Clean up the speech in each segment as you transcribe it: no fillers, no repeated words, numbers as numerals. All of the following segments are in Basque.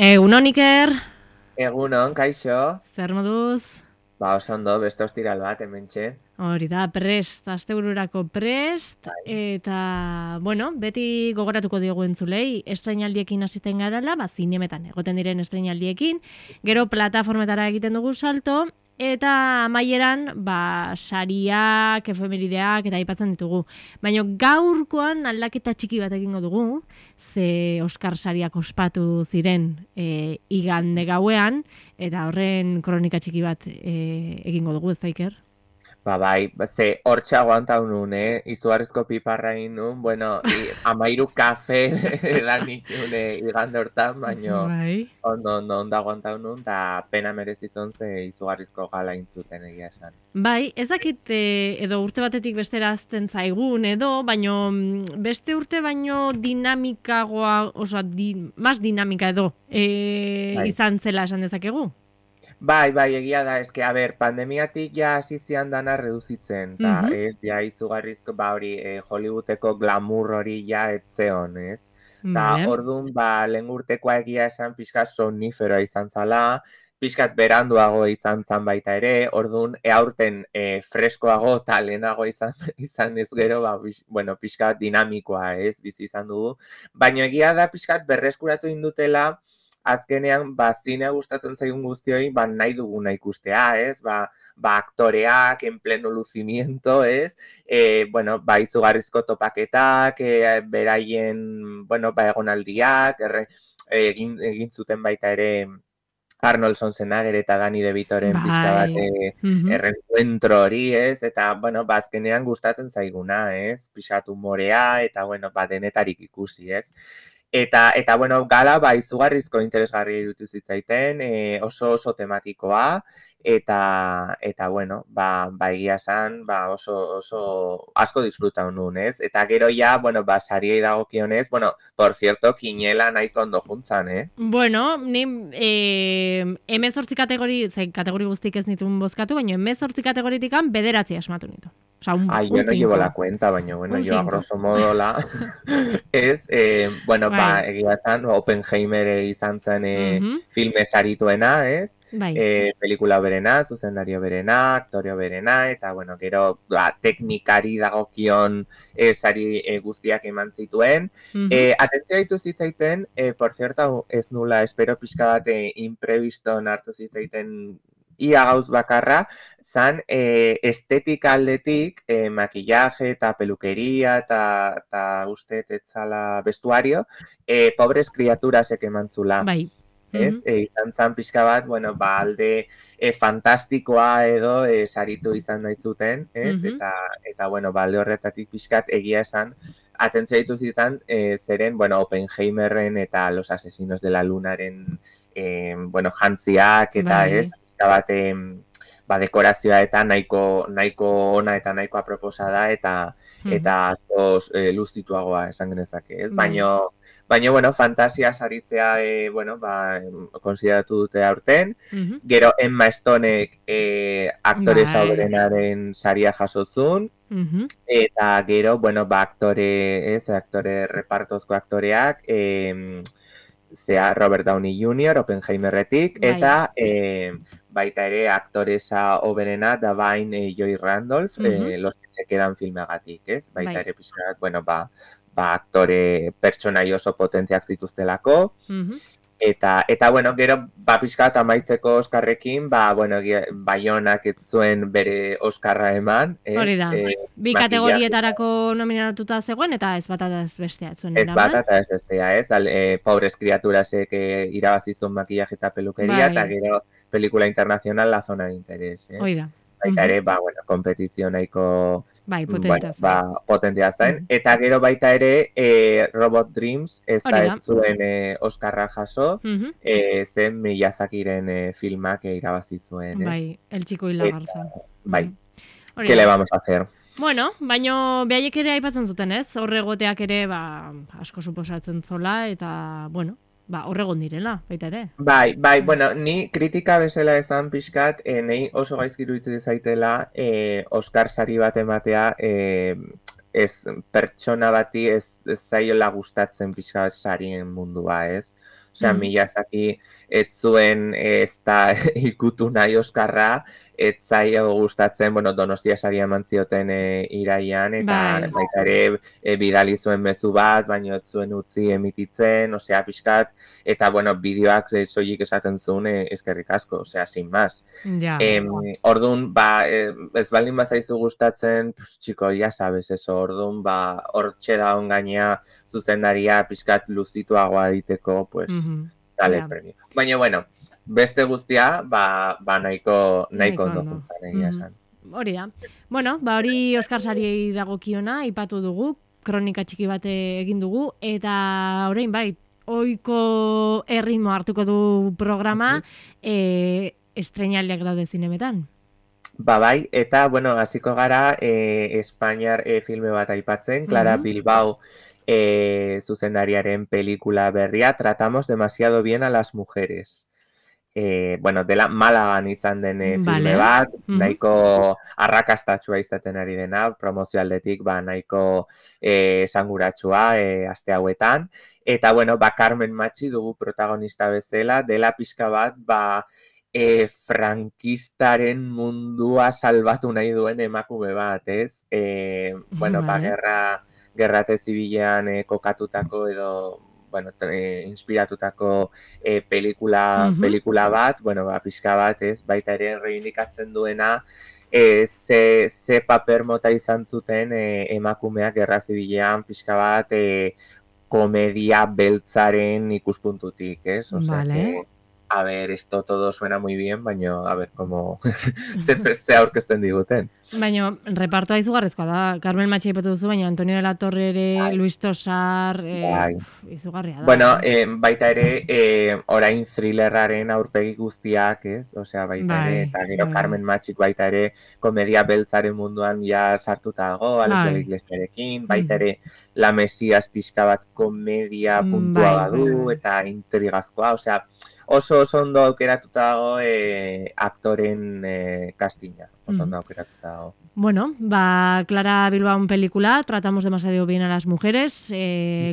Egunon Iker, Egunon, kaixo. zer moduz? Oso ondo, beste ostiral bat, hementxe. Hori da, prest, astebururako prest, Bai. eta, bueno, beti gogoratuko diogu entzulei, estrainaldiekin hasiten garala, zinemetan egoten diren estrainaldiekin, gero plataformetara egiten dugu salto, eta amaieran, sariak, efemerideak, eta aipatzen ditugu. Baina gaurkoan aldaketa txiki bat egingo dugu, ze Oscar sariak ospatu ziren igande gauean, eta horren kronika txiki bat egingo dugu, ez da Iker? Bai, ze hortxe aguantau nun, izugarrizko piparra egin nun, bueno, amairu kafe edanik nun igande hortan, baino Bai. ondo aguantau nun, da pena merezizon ze izugarrizko gala intzuten egia esan. Bai, ez dakit edo urte batetik bestera azten zaigun edo, baino beste urte baino dinamikagoa, mas dinamika edo Bai. izan zela esan dezakegu. Bai, egia da, eske, a ber, pandemiatik ja hasi zian dana reduzitzen, eta Mhm. ez, ja izugarrizko, hori, Hollywoodeko glamour hori ja etzeon, ez? Ta Vale. orduan, lehen urtekoa egia esan pixka somniferoa izan zala, pixkat beranduago izan zan baita ere, orduan, aurten freskoago eta lehenago izan ez gero, bueno, pixkat dinamikoa, ez, bizi izan dugu. Baina egia da pixkat berreskuratu indutela, azkenean, zinea gustatzen zaigun guztioi, nahi duguna ikustea, ez? Aktoreak, en pleno lucimiento, ez? Bueno, izugarrizko topaketak, beraien, bueno, egonaldiak, egin zuten baita ere Arnold Schwarzenegger eta Danny DeVitoren pixka bat Bai. Mhm. errenkuentro hori, ez? Eta, bueno, azkenean gustatzen zaiguna, ez? Pixat humorea, eta, bueno, denetarik ikusi, ez? Eta bueno, gala, izugarrizko interesgarri irutu zitzaiten, oso tematikoa, eta bueno, egia esan, oso asko disfrutau nun, ez? Eta gero ja, bueno, sariei dagokionez, bueno, por cierto, Kinela nahiko ondo juntzan, Bueno, ni emezortzi kategori guztik ez nituen bozkatu, baina emezortzi kategoritikan bederatzi asmatu nitu. Osa, Ay, yo un no llevo cinco. la cuenta, baina, bueno, Un yo a cinco. grosso modo ez, bueno, Bai. egia zan, Oppenheimer izan zen Mhm. filme sarituena, ez? Bai. Pelikula berena, zuzendario berena, aktorio berena, eta, bueno, gero, teknikari dagokion sari guztiak eman zituen. Mhm. Atentzio ditu zitzaiten, por cierto, ez nula, espero pixka bat impreviston hartu zitzaiten ia gauz bakarra, zan estetika aldetik, makillaje eta pelukeria eta uste etzala vestuario, pobres criaturasek eman zula. Bai. Ez? Mhm. Izan zan pixka bat, bueno, alde fantastikoa edo saritu izan daitzuten, ez? Mhm. Eta bueno, alde horretatik pixkat egia esan, atentzia ditu zitan, zeren, bueno, Oppenheimerren eta Los Asesinos de la Lunaren, bueno, jantziak eta ez, Bai. pixka bat, dekorazioa eta nahiko ona eta nahiko aproposa da, Mhm. eta askoz luzituagoa esan genezake, ez? Bai. Baina, bueno, fantasia saritzea, bueno, konsideratu dute aurten. Mhm. Gero Emma Stonek aktore Bai. zaurrenaren saria jasozun. Mhm. Eta gero, bueno, aktore repartozko aktoreak, zea Robert Downey Jr., Oppenheimerretik, Bai. eta baita ere aktoresa oberena da bain Joy Randolph, Mhm. Los que se quedan filmeagatik, ez? Baita Bai. ere pixka, bueno, aktore pertsonai oso potentziak zituztelako, Mhm. eta bueno, gero, pixka amaitzeko Oskarrekin, bueno, Baionak ez zuen bere Oskarra eman, Hori ez? da. Bi Makillaje, kategorietarako nominatuta zegoen, eta ez bata ez bestea zuen ez bata eraman. eta ez bestea, ez? Pobres criaturasek irabazizun makillaje eta pelukeria, eta Bai. gero pelikula internacional La zona de interés, ez? Hori da. Baita Mhm. ere, bueno, kompetizio nahiko, Bai, bueno, potentea zen. potentia zen. Mhm. Eta gero baita ere, Robot Dreams, ez Hori da ez da. zuen Oskarra jaso, Mhm. zen Miyazakiren filmak irabazi zuen, ez? Bai, el chico y la Eta, garza. bai, Mhm. Hori ¿qué le da. vamos a hacer? Bueno, baino behaiek ere aipatzen zuten, ez? Horregoteak ere, asko suposatzen zola, eta, bueno, horregon direla, baita ere. Bai. Bueno, ni kritika bezala esan pixkat, nei oso gaizki iruditzen zaitela Oscar sari bat ematea, ez pertsona bati ez zaiola gustatzen pixkat sarien mundua, ez? Osea, Miyazaki ez zuen ez da ikutu nahi Oskarra, ez zaio gustatzen, bueno, Donostia saria eman zioten iraian, eta Bai. baita ere bidali zuen mezu bat, baina ez zuen utzi emititzen, osea, pixkat, eta, bueno, bideoak soilik esaten zuen eskerrik asko, osea, sin más. Ja. Orduan, ez baldin bazaizu gustatzen, pues, txiko, ya sabes, eso, orduan, hortxe da gainea zuzendaria pixkat luzituagoa diteko, pues, dale premio. Baina, bueno, beste guztia, nahiko ondo juntzan, egia esan. Hori da. Bueno, hori Oskar sariei dagokiona, aipatu dugu, kronika txiki bate egin dugu, eta orain bai, ohiko erritmo hartuko du programa, estreinaldiak daude zinemetan. Bai, eta, bueno, hasiko gara Espainiar filme bat aipatzen, Clara Bilbao zuzendariaren pelikula berria, Tratamos demasiado bien a las mujeres. Bueno, dela Malagan izan den filme bat, nahiko arrakastatsua izaten ari dena, promozio aldetik, nahiko esanguratsua aste hauetan. Eta, bueno, Carmen Machi dugu protagonista bezala, dela pixka bat, frankistaren mundua salbatu nahi duen emakume bat, ez? Bueno, gerrate zibilean kokatutako edo, bueno, inspiratutako pelikula bat, bueno, pixka bat, ez? Baita ere reivindikatzen duena, ze paper mota izan zuten emakumeak gerra zibilean pixka bat komedia beltzaren ikuspuntutik, ez? Osea, a ver, esto todo suena muy bien, baina, a ver, como ze aurkezten diguten. Baina, repartoa izugarrizkoa da. Carmen Machi ipatu duzu, baina Antonio de la Torre ere, Luis Tosar, izugarria da. Bueno, baita ere, orain thrillerraren aurpegi guztiak, ez? Osea, baita ere, eta gero Carmen Machik baita ere, komedia beltzaren munduan ja sartuta dago, Alex de la Iglesiarekin, baita ere, La Mesias pixka bat komedia puntua badu, eta intrigazkoa, osea, oso ondo aukeratuta dago aktoren castinga. Oso ondo aukeratuta dago. Bueno, Clara Bilbao pelikula, Tratamos demasiado bien a las mujeres,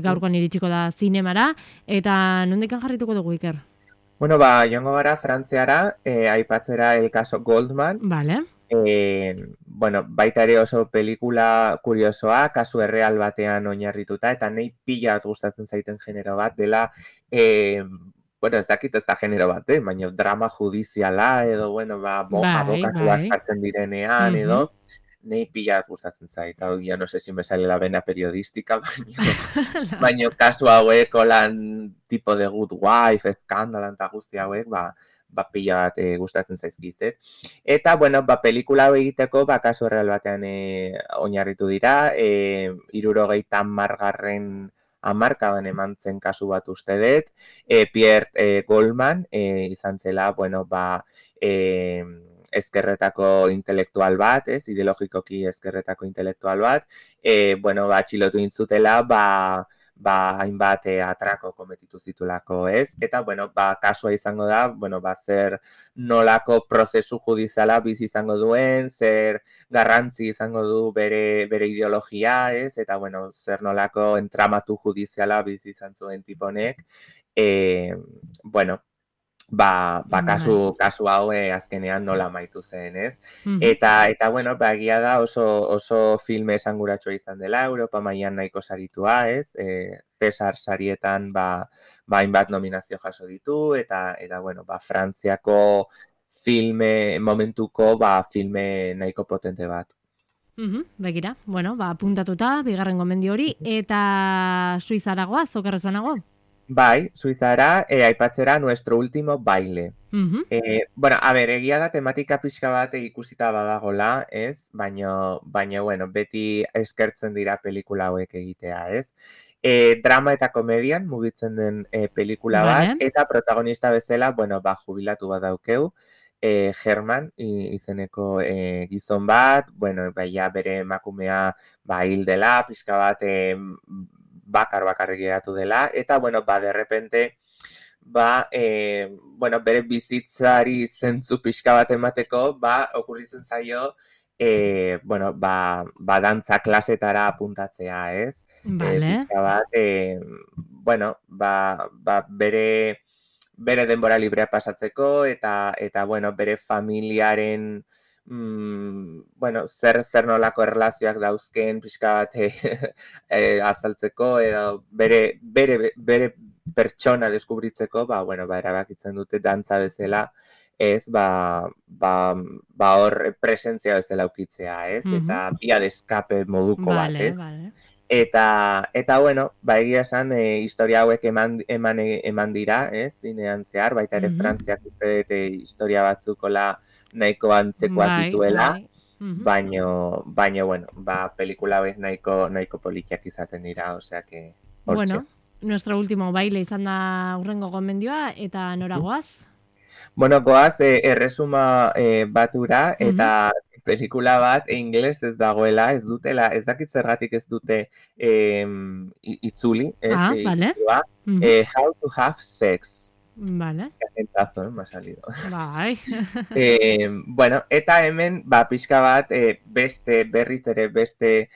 gaurkoan iritsiko da zinemara, eta nondikan jarrituko dugu, Iker? Bueno, joango gara Frantziara, aipatzera el caso Goldman. Vale. Bueno, baita ere oso pelikula kuriosoa, kasu erreal batean oinarrituta, eta nahi pila gustatzen zaiten genero bat, dela bueno, ez dakit ez da genero bat, baina drama judiziala edo, bueno, abokatuak jartzen direnean edo, nahi pila gustatzen zait. Hau, ya no sé si me sale la vena periodística, baina kasu hauek, olan tipo de good wife, eskandalan eta guzti hauek, pila bat gustatzen zaizkizet. Eta, bueno, pelikula hau egiteko, kasu erreal batean oinarritu dira, 70 hamarkadan eman zen kasu bat uste dut, Pierre Goldman izan zela, bueno, ezkerretako intelektual bat, ideologikoki ezkerretako intelektual bat, bueno, atxilotu intzutela, hainbat atrako kometitu zitulako, ez? Eta, bueno, kasua izango da, bueno, zer nolako prozesu judiziala bizi izango duen, zer garrantzi izango du bere ideologia, ez? Eta, bueno, zer nolako entramatu judiziala bizi izan zuen tiponek. Bueno, kasu hau azkenean nola amaitu zen, ez? Eta bueno, egia da oso filme esanguratsua izan dela, Europa mailan nahiko saritua, ez? Cesar sarietan hainbat nominazio jaso ditu, eta bueno, Frantziako filme, momentuko filme nahiko potente bat. Begira, bueno, apuntatuta, bigarren gomendio hori, eta Suizaragoa, zokerrezanago? Bai, Suizara, aipatzera Nuestro último baile. Bueno, a ver, egia da tematika pixka bat ikusita badagola, ez? Baina, bueno, beti eskertzen dira pelikula hauek egitea, ez? Drama eta komedian mugitzen den pelikula bat, eta protagonista bezala, bueno, jubilatu bat daukeu, German izeneko gizon bat, bueno, bere emakumea hil dela, pixka bat bakarrik geratu dela, eta, bueno, de repente, bueno, bere bizitzari zentzu pixka bat emateko, okurritzen zaio bueno, dantza klasetara apuntatzea, ez? Vale. Pixka bat, bueno, bere denbora librea pasatzeko eta bueno, bere familiaren bueno, zer nolako erlazioak dauzken pixka bat azaltzeko edo bere pertsona deskubritzeko, bueno, erabakitzen dute dantza bezala, ez, hor presentzia bezala ukitzea, ez? Eta via de escape moduko bat, ez? Vale. Eta bueno, egia esan, historia hauek eman dira, ez, zinean zehar, baita ere Frantziak uste dut historia batzukola nahiko antzekoak dituela, baino, bueno, pelikula hauek nahiko politiak izaten dira, osea que, hortxe. Bueno, nuestro último baile izan da urrengo gomendioa, eta nora goaz? Bueno, goaz, erresuma batura, eta pelikula bat ingeles ez dagoela, ez dutela, ez dakit zergatik ez dute itzuli, ez? Vale. How to have sex. Vale. Agentazo, me ha salido. Bai. Bueno, eta hemen, pixka bat, berriz ere beste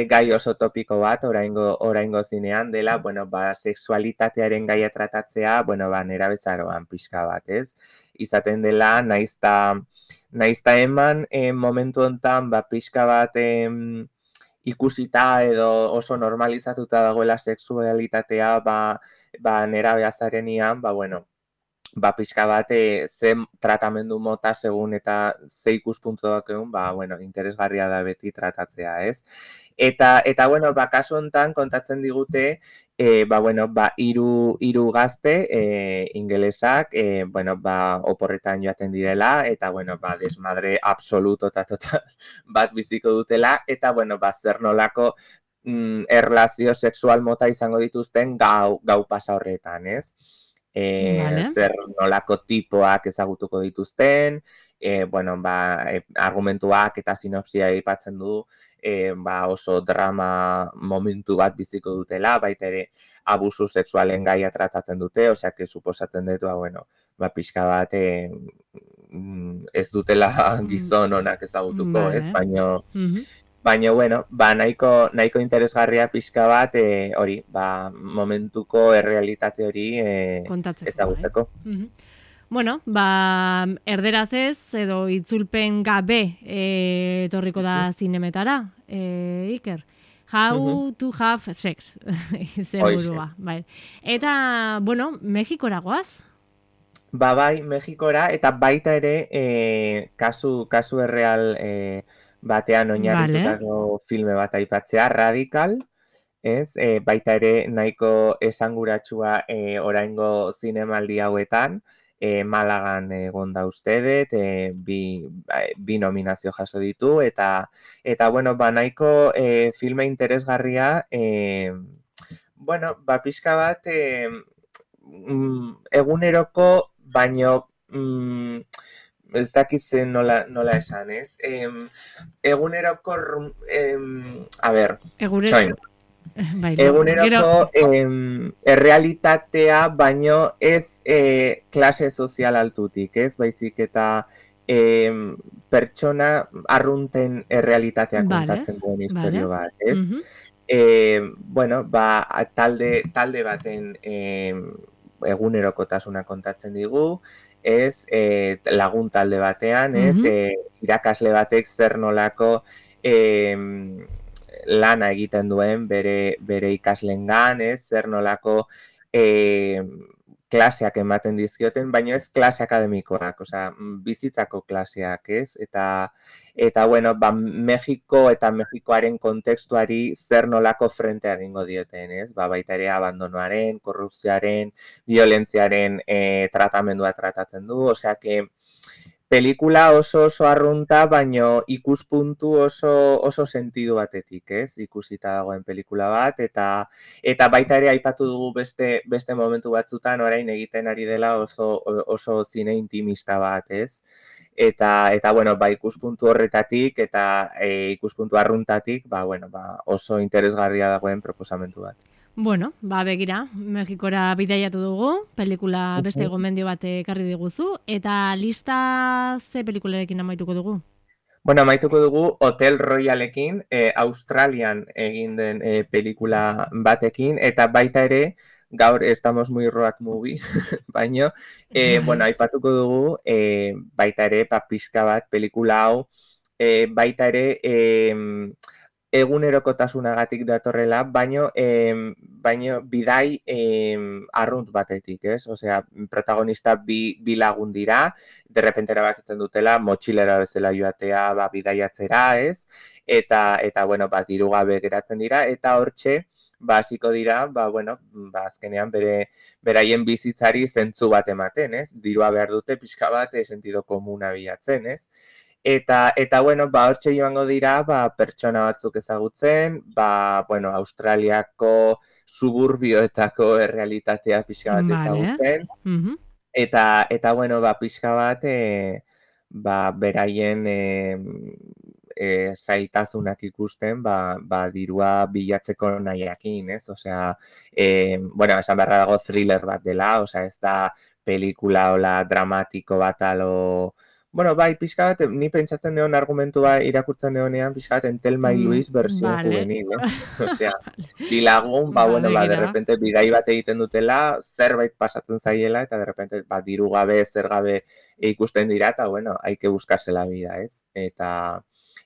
gai oso topiko bat, oraingo zinean dela, bueno, sexualitatearen gaia tratatzea, bueno, nerabezaroan pixka bat, ez? Izaten dela, naizta eman momentu hontan, pixka bat ikusita edo oso normalizatuta dagoela sexualitatea, nerabeazarenian, bueno, pixka bat ze tratamendu mota segun eta ze ikuspuntuak egun, bueno, interesgarria da beti tratatzea, ez? Eta bueno, kasu hontan kontatzen digute, bueno, hiru gazte ingelesak, bueno, oporretan joaten direla, eta bueno, desmadre absoluto eta total bat biziko dutela, eta bueno, zer nolako erlazio sexual mota izango dituzten gau pasa horretan, ez? Zer nolako tipoak ezagutuko dituzten, bueno, argumentuak eta sinopsia aipatzen du, oso drama momentu bat biziko dutela, baita ere abusu sexualen gaia tratatzen dute, osea, que suposatzen dut, bueno, pixka bat ez dutela gizon onak ezagutuko, ez? Baina, bueno, nahiko interesgarria pixka bat, hori, momentuko errealitate hori ezagutzeko. Bueno, erderaz ez, edo itzulpen gabe etorriko da zinemetara, Iker. How to have sex, izenburua. Eta, bueno, Mexikora goaz? Bai, Mexikora, eta baita ere kasu erreal batean oinarritutako filme bat aipatzea, Radical, ez? Baita ere nahiko esanguratsua oraingo zinemaldi hauetan, Malagan egon da uste dut, bi nominazio jaso ditu, eta bueno, nahiko filme interesgarria, bueno, pixka bat eguneroko, baino ez dakitzen nola esan, ez? Eguneroko, txoin. Eguneroko errealitatea, baino ez klase sozial altutik, ez? Baizik eta pertsona arrunten errealitatea kontatzen duen historio bat, ez? Bueno, talde baten egunerokotasuna kontatzen digu, ez, lagun talde batean, ez, irakasle batek zer nolako lana egiten duen bere ikaslengan, ez, zer nolako klaseak ematen dizkioten, baina ez klase akademikoak, osea, bizitzako klaseak, ez, eta bueno, Mexiko eta Mexikoaren kontekstuari zer nolako frentea egingo dioten, ez? Baita ere abandonoaren, korrupzioaren, violentziaren tratamendua tratatzen du, osea que pelikula oso arrunta, baino ikuspuntu oso sentidu batetik, ez? Ikusita dagoen pelikula bat, eta baita ere aipatu dugu beste momentu batzutan orain egiten ari dela oso zine intimista bat, ez? Eta bueno, ikuspuntu horretatik eta ikuspuntu arruntatik, bueno, oso interesgarria dagoen proposamentu bat. Bueno, begira, Mexikora bidaiatu dugu, pelikula beste gomendio bat ekarri diguzu, eta lista ze pelikularekin amaituko dugu? Bueno, amaituko dugu Hotel Royalekin, Australian egin den pelikula batekin, eta baita ere, gaur estamos muy road movie, baino, bueno, aipatuko dugu, baita ere, pizka bat pelikula hau, baita ere, egunerokotasunagatik datorrela, baino bidai arrunt batetik, ez? Osea, protagonista bi lagun dira, derrepente erabakitzen dutela, motxilera bezala joatea, bidaiatzera, ez? Eta bueno, diru gabe geratzen dira, eta hortxe, hasiko dira, bueno, azkenean beraien bizitzari zentzu bat ematen, ez? Dirua behar dute pixka bat sentido komuna bilatzen, ez? Eta bueno, hortxe joango dira, pertsona batzuk ezagutzen, bueno, Australiako suburbioetako errealitatea pixka bat ezagutzen, eta bueno, pixka bat, beraien zailtasunak ikusten, dirua bilatzeko nahiakin, ez? Osea, bueno, esan beharra dago thriller bat dela, osea, ez da pelikula hola dramatiko bat alo... Bueno, pixka bat, ni pentsatzen neon argumentua irakurtzen neonean, pixka bat, Thelma y Luis versión juvenil, Osea, bilagun, bueno, de repente bidai bat egiten dutela, zerbait pasatzen zaiela, eta de repente, diru gabe, zer gabe ikusten dira, eta bueno, hay que buscarse la vida, ez?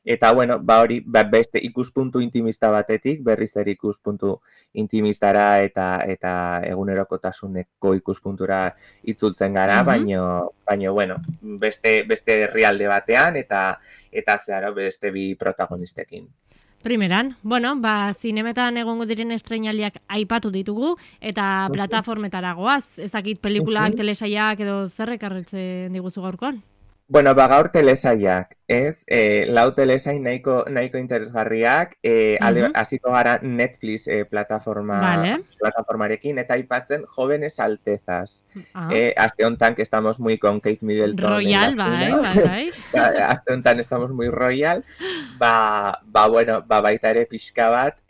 Eta bueno, hori, beste ikuspuntu intimista batetik, berriz ere ikuspuntu intimistara eta egunerokotasuneko ikuspuntura itzultzen gara, baino bueno, beste herrialde batean eta zeharo beste bi protagonistekin. Primeran, bueno, zinemetan egongo diren estreinaldiak aipatu ditugu eta plataformetara goaz, ezakit pelikulak, telesaiak edo zer ekarritzen diguzu gaurkoan? Bueno, gaur telesaiak, ez? Lau telesain nahiko interesgarriak, hasiko gara Netflix plataformarekin, eta aipatzen Jóvenes Altezas. Aste hontan que estamos muy con Kate Middleton. Royal, bai. Aste hontan estamos muy royal. Bueno, baita ere pixka bat,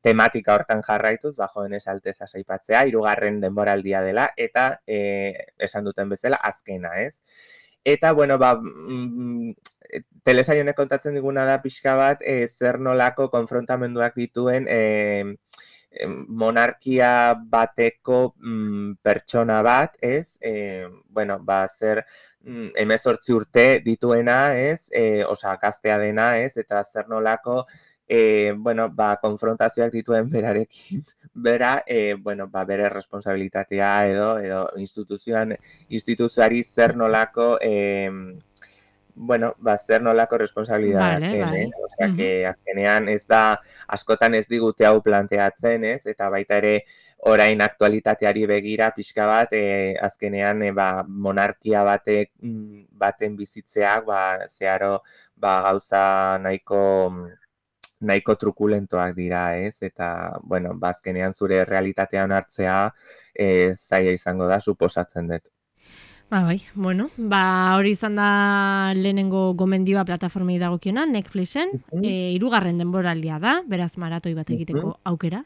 tematika hortan jarraituz, Jóvenes Altezas aipatzea, 3. denboraldia dela, eta esan duten bezala, azkena, ez? Eta, bueno, telesail honek kontatzen diguna da pixka bat, zer nolako konfrontamenduak dituen monarkia bateko pertsona bat, ez? Bueno, zer 18 urte dituena, ez? Osa, gaztea dena, ez? Eta zer nolako, bueno, konfrontazioak dituen berarekin, bueno, bere responsabilitatea edo instituzioari zer nolako, bueno, zer nolako responsabilitatea, osea, que azkenean ez da, askotan ez digute hau planteatzen, ez? Eta baita ere, orain aktualitateari begira pixka bat, azkenean monarkia baten bizitzeak, zeharo, gauza nahiko trukulentoak dira, ez? Eta, bueno, azkenean zure realitatean hartzea zaila izango da, suposatzen dut. Bai, bueno, hori izan da lehenengo gomendioa plataformei dagokiona, Netflixen, 3. denboraldia da, beraz maratoi bat egiteko aukera.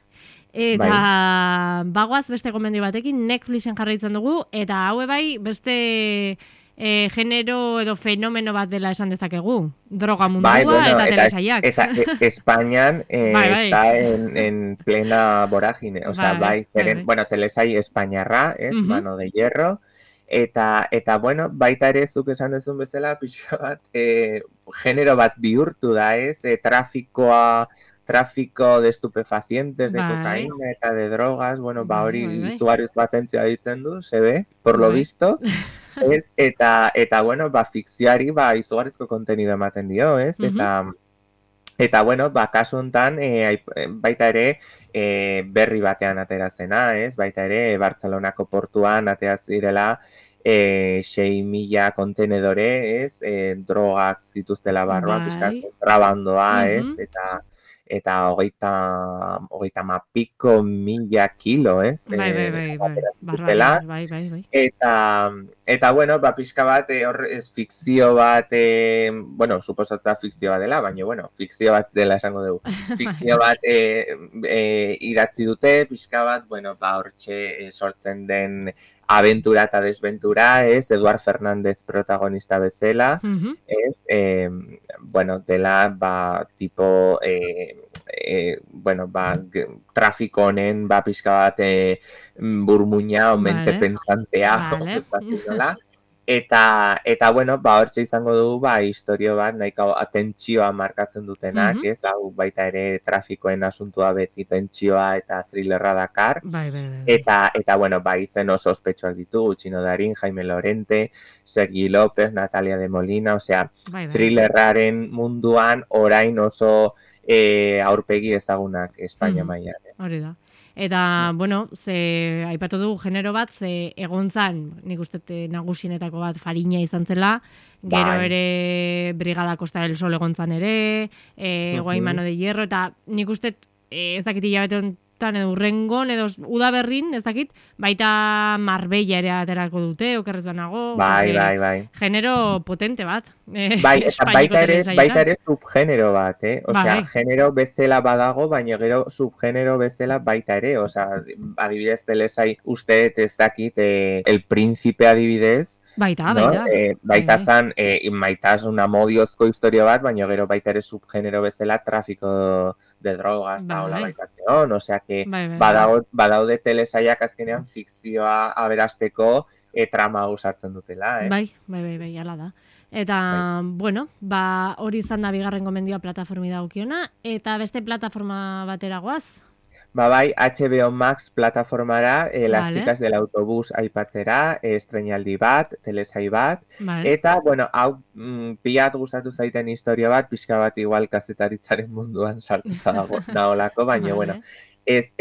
Eta bagoaz beste gomendio batekin Netflixen jarraitzen dugu, eta haue bai beste genero edo fenomeno bat dela esan dezakegu. Droga mundua eta telesaiak. Eta Espainian está en plena vorágine. O sea, bueno, telesai espainiarra, es Mano de Hierro. Eta bueno, baita ere zuk esan dezun bezala, pixka bat, genero bat bihurtu da, ez? Tráfico de estupefacientes, de cocaína eta de drogas, bueno, hori izugarriz batentzioa ditzen du, se ve, por lo visto. Eta bueno, fikzioari izugarrizko kontenido ematen dio, ez? Eta bueno, kasu hontan, baita ere, berri batean aterazena, ez? Baita ere, Bartzelonako portuan ateaz direla 6.000 kontenedore, ez? Drogak zituztela barruan, pixkat, kontrabandoa, ez? Eta 30.000 kilo, ez? Bai. Eta bueno, pixka bat, fikzio bat, bueno, suposatuta fikzio bat dela, baina, bueno, fikzio bat dela esango dugu. Fikzio bat idatzi dute, pixka bat, bueno, hortxe sortzen den aventura eta desventura, ez, Eduard Fernández protagonista bezala, ez, bueno, dela, ba, tipo, bueno, ba, trafiko honen, ba, pixka bat burmuina, mente pensantea, ez da, Eta bueno, ba, hortxe izango dugu, ba, historio bat, nahiko atentsioa markatzen dutenak, ez, hau baita ere trafikoen asuntua beti tentsioa eta thrillerra dakar. Eta bueno, ba, izen oso ospetsuak ditugu, Txino Darín, Jaime Lorente, Sergi López, Natalia de Molina, osea, thrillerraren munduan orain oso aurpegi ezagunak Espainia mailan. Hori da. Eta, bueno, ze aipatu dugu genero bat, ze egontzan, nik uste nagusienetako bat Fariña izan zela, gero ere Brigada Costa del Sol egontzan ere, Guaimano de Hierro, eta nik uste ez dakit hilabete honetan edo urrengon, edo udaberrin, ez dakit, baita Marbella ere aterako dute, okerrez banago. Bai. Genero potente bat. Bai, eta baita ere subgenero bat, Osea, genero bezala badago, baina gero subgenero bezala baita ere, osea, adibidez telesai uste ez dakit, El Príncipe adibidez, Baita. Baita zan, maitasun amodiozko historio bat, baina gero baita ere subgenero bezala trafiko de drogas, eta hola baita zeon, osea, que badaude telesaiak azkenean fikzioa aberasteko trama sartzen dutela, Bai, ala da. Eta, bueno, ba, hori izan da bigarren gomendioa plataformi dagokiona, eta beste plataforma batera goaz? Ba bai, HBO Max plataformara, Las chicas del autobús aipatzera, estreinaldi bat, telesai bat, eta, bueno, hau pilat gustatu zaiten historia bat, pixka bat igual kazetaritzaren munduan sartuta dagoelako, baina, bueno, ez,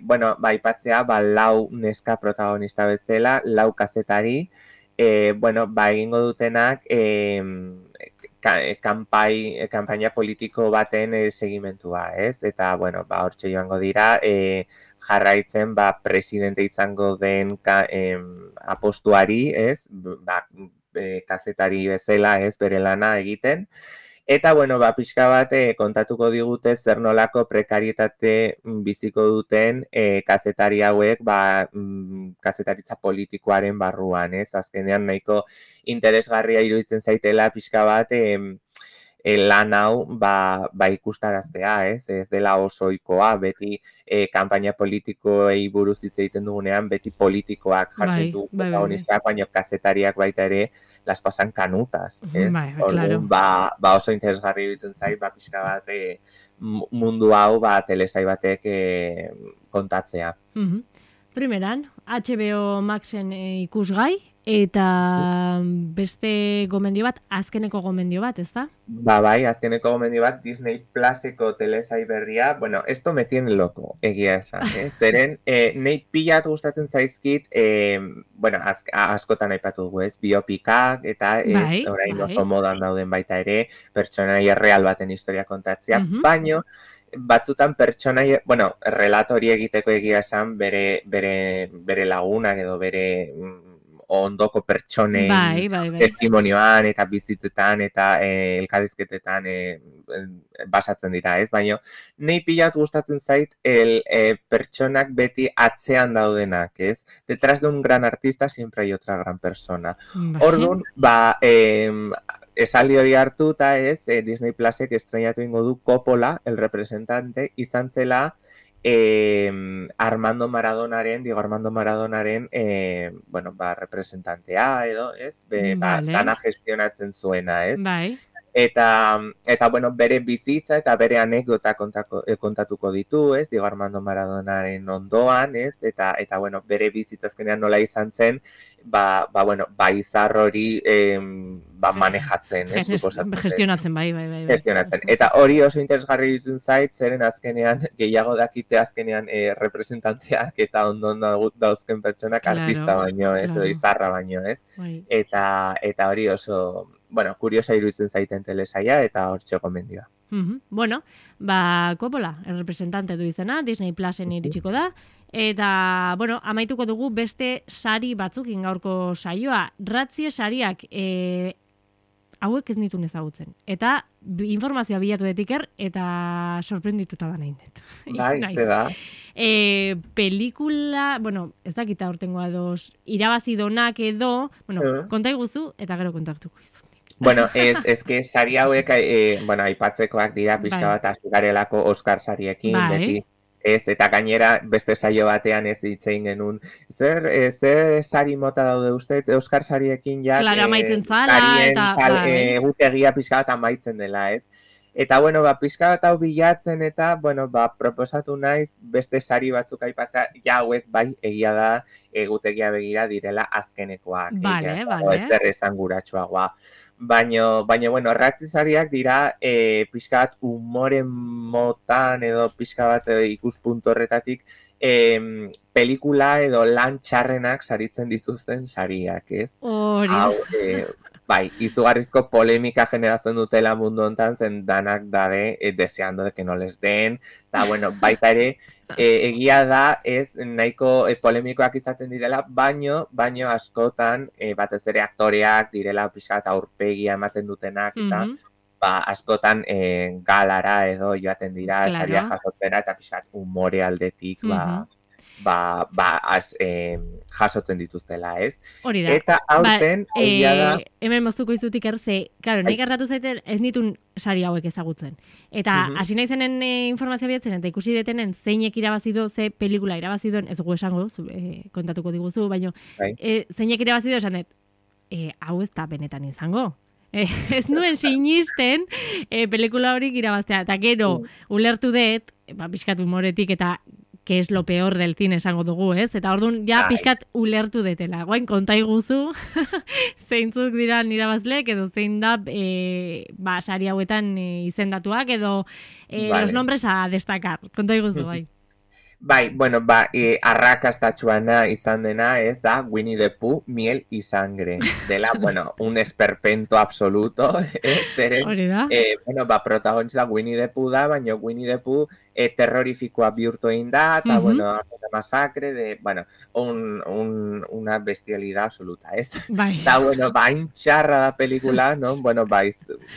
bueno, ba, aipatzea, ba, lau neska protagonista bezala, lau kazetari, bueno, ba, egingo dutenak, kanpaina politiko baten segimentua, ez? Eta, bueno, ba, hortxe joango dira, jarraitzen, ba, presidente izango den apostuari, ez? Ba, kazetari bezala, ez, bere lana egiten. Eta, bueno, ba, pixka bat kontatuko digute zer nolako prekarietate biziko duten kazetari hauek, ba, kazetaritza politikoaren barruan, ez? Azkenean nahiko interesgarria iruditzen zaitela pixka bat lan hau ba ikustaraztea, ez dela oso ohikoa, beti kanpaina politikoei buruz hitz egiten dugunean, beti politikoak jartzen du protagonistak, baina kazetariak baita ere las pasan canutas, ez? Orduan, ba oso interesgarri iruditzen zait, ba pixka bat mundu hau ba telesai batek kontatzea. Primeran, HBO Maxen ikusgai, eta beste gomendio bat, azkeneko gomendio bat, ez da? Ba bai, azkeneko gomendio bat, Disney Pluseko telesai berria, bueno, esto me tiene loco, egia esan, zeren, nahi pilat gustatzen zaizkit, bueno, askotan aipatu dugu, ez, biopikak, eta ez, orain oso modan dauden baita ere, pertsonaia real baten historia kontatzea, baino, batzutan pertsonaia, bueno, relatori egiteko egia esan bere lagunak edo bere ondoko pertsonen testimonioan eta bizitetan eta elkarrizketetan basatzen dira, ez? Baina nahi pilat gustatzen zait pertsonak beti atzean daudenak, ez? Detrás de un gran artista siempre hay otra gran persona. Orduan, ba, esaldi hori hartuta, ez, Disney Plusek estreinatu ingo du Coppola, el representante, izan zela Armando Maradonaren, bueno, ba, representantea edo, ez, dana gestionatzen zuena, ez? Eta, bueno, bere bizitza eta bere anekdota kontatuko ditu, ez, Diego Armando Maradonaren ondoan, ez, eta, bueno, bere bizitza azkenean nola izan zen, bueno, izar hori manejatzen, ez, suposatzen. Gestionatzen, bai. Gestionatzen. Eta hori oso interesgarri ditzen zait, zeren azkenean, gehiago dakite azkenean representanteak eta ondon dauzken pertsonak artista baino, ez, edo izarra baino, ez. Eta hori oso, bueno, kuriosa iruditzen zaiten telesaia eta hortxe gomendioa. Bueno, ba, Coppola, el representante du izena, Disney Plusen iritsiko da, eta, bueno, amaituko dugu beste sari batzukin gaurko saioa. Ratzie sariak hauek ez nituen ezagutzen. Eta informazioa bilatu detiker, eta sorprendituta da nahi dut. Bai, ze da. Pelikula, bueno, ez dakita hortengoa dos, irabazidonak edo, bueno, konta iguzu, eta gero kontaktuko izut. Bueno, ez que sari hauek, bueno, aipatzekoak dira pixka bat azigarelako Oscar sariekin, beti. Ez, eta gainera beste saio batean ez hitzein genuen. Zer sari mota daude uste, Oscar sariekin ja... Claro, amaitzen zala, eta... Egutegia pixka bat amaitzen dela, ez? Eta, bueno, pixka bat hau bilatzen eta, bueno, proposatu naiz beste sari batzuk aipatza, ja hauek bai egia da egutegia begira direla azkenekoak. Vale. Ez derresanguratsuagoa. Baina, bueno, ratzizariak dira pixka bat umoren motan edo pixka bat ikuspuntu horretatik pelikula edo lan txarrenak saritzen dituzten sariak, ez? Hori. Hau, bai, izugarrizko polemika generatzen dutela mundu hontan zen danak dabe deseando de que no les den, eta, bueno, baita ere, egia da ez nahiko polemikoak izaten direla, baino askotan batez ere aktoreak direla pixka eta aurpegia ematen dutenak eta askotan galara edo joaten dira saria jasotzera eta pixka umore aldetik jasotzen dituztela, ez? Hori da. Eta aurten egia da... Hemen moztuko izutik erze, claro, nik gertatu zaiten ez nitun sari hauek ezagutzen. Eta hasi naizenen informazioa bilatzen eta ikusi detenen zeinek irabazido, ze pelikula irabazidon, ez dugu esango, kontatuko diguzu, baina zeinek irabazido esan dut, hau ez da benetan izango. Ez nuen sinisten pelikula horik irabaztea. Eta gero, ulertu dut, pixkat humoretik eta que es lo peor del cine esango dugu, ez? Eta orduan, ja pixkat ulertu detela. Guain, konta iguzu, zeintzuk dira irabazleek, edo zein da, sari hauetan izendatuak, edo los nombres a destacar. Konta iguzu, bai. Bai, bueno, arrakastatxuana izan dena, ez da, Winnie the Pooh, miel y sangre. Dela, bueno, un esperpento absoluto. Hori da. Bueno, protagonista Winnie the Pooh da, baina Winnie the Pooh terrorifikoa bihurtu egin da, eta, bueno, una masacre de, bueno, una bestialidad absoluta, ez? Bai. Eta, bueno, bain txarra da pelikula, no? Bueno,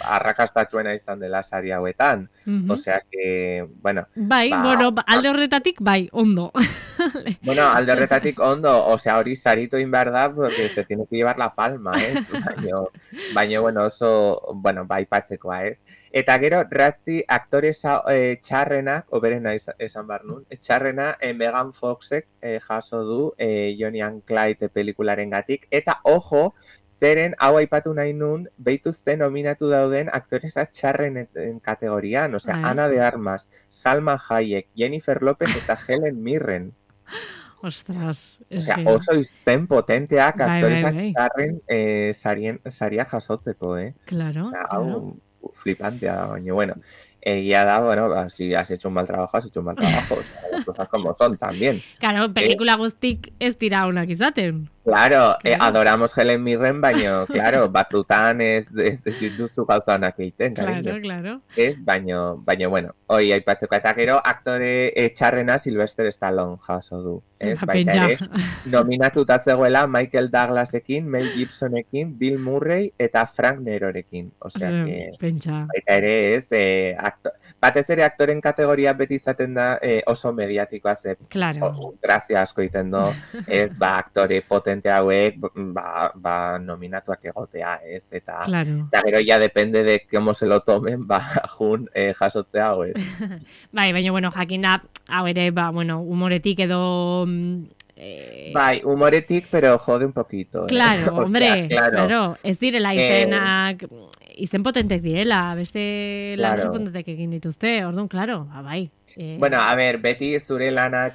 arrakastatxuena izan dela sari hauetan. Osea que, bueno... Bai, bueno, alde horretatik, bai, ondo. Bueno, alde horretatik ondo, osea, hori sarito inbar da, porque se tiene que llevar la palma, ez? Baina, bueno, oso, bueno, bai patzekoa, ez? Eta gero, ratzi aktore txarrenak, oberena esan bar nun, txarrena Megan Foxek jaso du Bonnie and Clyde pelikularen gatik, eta ojo, zeren hau aipatu nahi nun, behitu zen nominatu dauden aktoresa txarrenen kategorian, osea, Ana de Armas, Salma Hayek, Jennifer Lopez eta Helen Mirren. Ostras, osea, oso izen potenteak aktoresa txarren saria jasotzeko, Claro, osea, hau flipantea da, baina, bueno, egia da, bueno, si has hecho un mal trabajo, has hecho un mal trabajo, o sea, las cosas como son también. Claro, pelikula guztik ez dira onak izaten. Claro, adoramos Helen Mirren, baina, claro, batzutan ez duzu gauza honak egiten, Claro. Ez, baina, bueno, hoi aipatzeko eta gero aktore txarrena Sylvester Stallone jaso du. Ez, baita ere, nominatuta zegoela Michael Douglasekin, Mel Gibsonekin, Bill Murray eta Frank Nerorekin. Osea, que, baita ere, ez, batez ere aktoren kategoria beti izaten da oso mediatikoa ze. Claro. Grazia asko iten do, ez, aktore potente hauek, nominatuak egotea, ez, eta gero ya depende de cómo se lo tomen, jun jasotzea hau, ez. Bai, baina, bueno, jakin da, hau ere, bueno, humoretik edo... Bai, humoretik, pero jode un poquito. Claro, hombre, claro. Ez direla izenak, izen potentek direla, beste lan oso potentek egin dituzte, orduan, claro, bai. Bueno, a ver, beti zure lana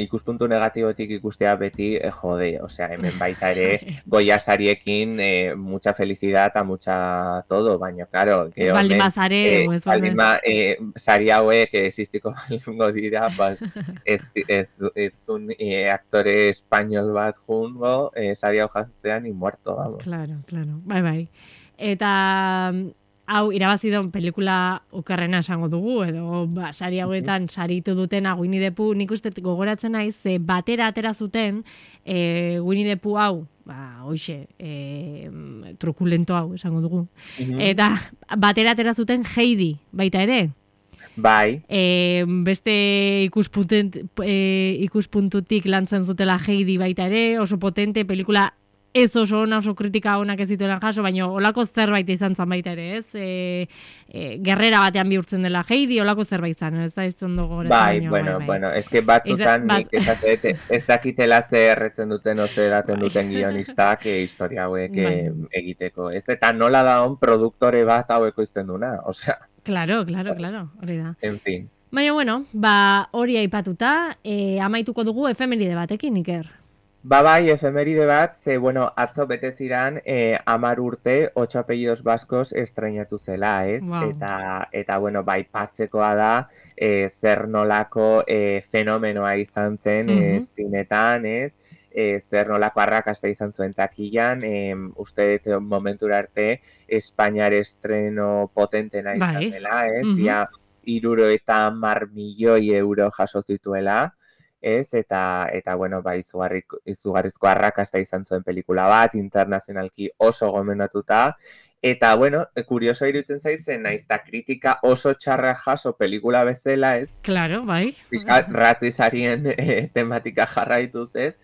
ikuspuntu negatibotik ikustea beti jode, osea, hemen baita ere Goya sariekin mucha felicidad eta mucha todo, baina, claro, ez baldin bazare, ez baldin sari hauek existiko balingo dira, pues, ez un aktore español bat jungo, sari hau jatzean y muerto, vamos. Claro, bai. Eta... hau, irabazidon pelikula okerrena esango dugu, edo sari hauetan saritu dutena Winnie the Pooh, nik uste gogoratzen naiz, batera atera zuten Winnie the Pooh hau, hoxe, trukulento hau, esango dugu. Mhm. Eta batera atera zuten Heidi, baita ere. Bai, Beste ikuspuntutik lantzen zutela Heidi baita ere, oso potente, pelikula ez oso ona, oso kritika onak ez zituelan jaso, baina olako zerbait izan zan baita ere, ez? Gerrera batean bihurtzen dela Heidi, olako zerbait zan, ez da ez ondo gogoratzen. bueno, eske batzutan nik ez dakitela ze erretzen duten oze daten duten guionistak historia hauek egiteko, ez? Eta nola da on produktore bat haueko izten duna, osea. Claro, hori da. En fin. Baina, bueno, hori aipatuta, amaituko dugu efemeride batekin, Iker. Bai, efemeride bat, ze, bueno, atzo bete ziran 10 urte 8 apellidos baskos estrenatu zela, ez? Wow. Eta bueno, bai, patzekoa da, zer nolako fenomenoa izan zen zinetan, ez? Zer nolako arrakasta izan zuen takilan, uste dut momentura arte Espainiar estreno potentena izan dela, ez? Ja, 70 milioi euro jaso zituela, ez, eta bueno, bai, izugarrizko arrakasta izan zuen pelikula bat, internazionalki oso gomendatuta, eta, bueno, kurioso iruditzen zaizen, naizta kritika oso txarra jaso pelikula bezala, ez? Claro, bai. Ratzizarien tematika jarraituz, ez?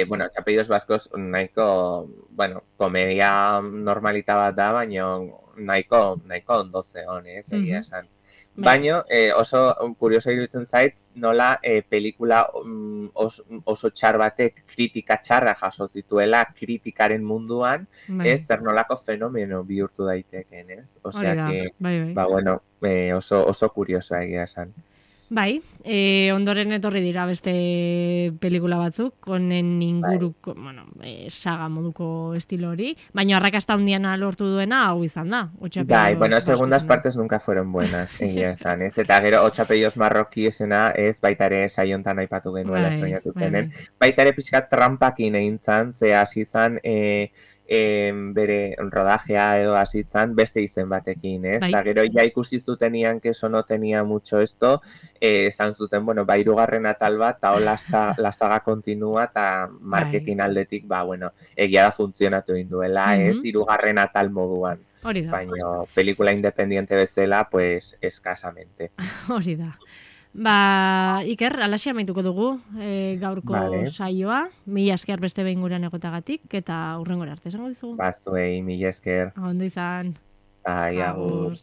Bueno, Apellidos Baskos nahiko, bueno, komedia normalita bat da, baina nahiko ondo zeon, ez, egia esan. Baina oso kurioso iruditzen zait, nola pelikula oso txar batek kritika txarra jaso zituela kritikaren munduan, ez zer nolako fenomeno bihurtu daiteken, ez? Osea que, bueno, oso kuriosoa egia esan. Bai, ondoren etorri dira beste pelikula batzuk, honen inguruko, bueno, saga moduko estilo hori, baina arrakasta handiana lortu duena hau izan da. Bai, bueno, segundas partes nunca fueron buenas, egia esan, ez? Eta gero, 8 apellidos marroki esena, ez, baita ere saiontan aipatu genuela estrenatu zenen. Baita ere pixkat trampakin egin zan, ze hasi zan, bere rodajea edo hasi zan beste izen batekin, ez? Eta gero ja ikusi zutenian que eso no tenía mucho esto, esan zuten, bueno, hirugarren atal bat, eta la saga continua, eta marketing aldetik, bueno, egia da funtzionatu induela, ez? Hirugarren atal moduan. Baina pelikula independiente bezala, pues, eskasamente. Hori da. Iker, alaxi amaituko dugu gaurko saioa. Mila esker beste behin gurean egotagatik, eta hurrengora arte, esango dizugu? Zuei, mila esker. Ondo izan. Bai, agur.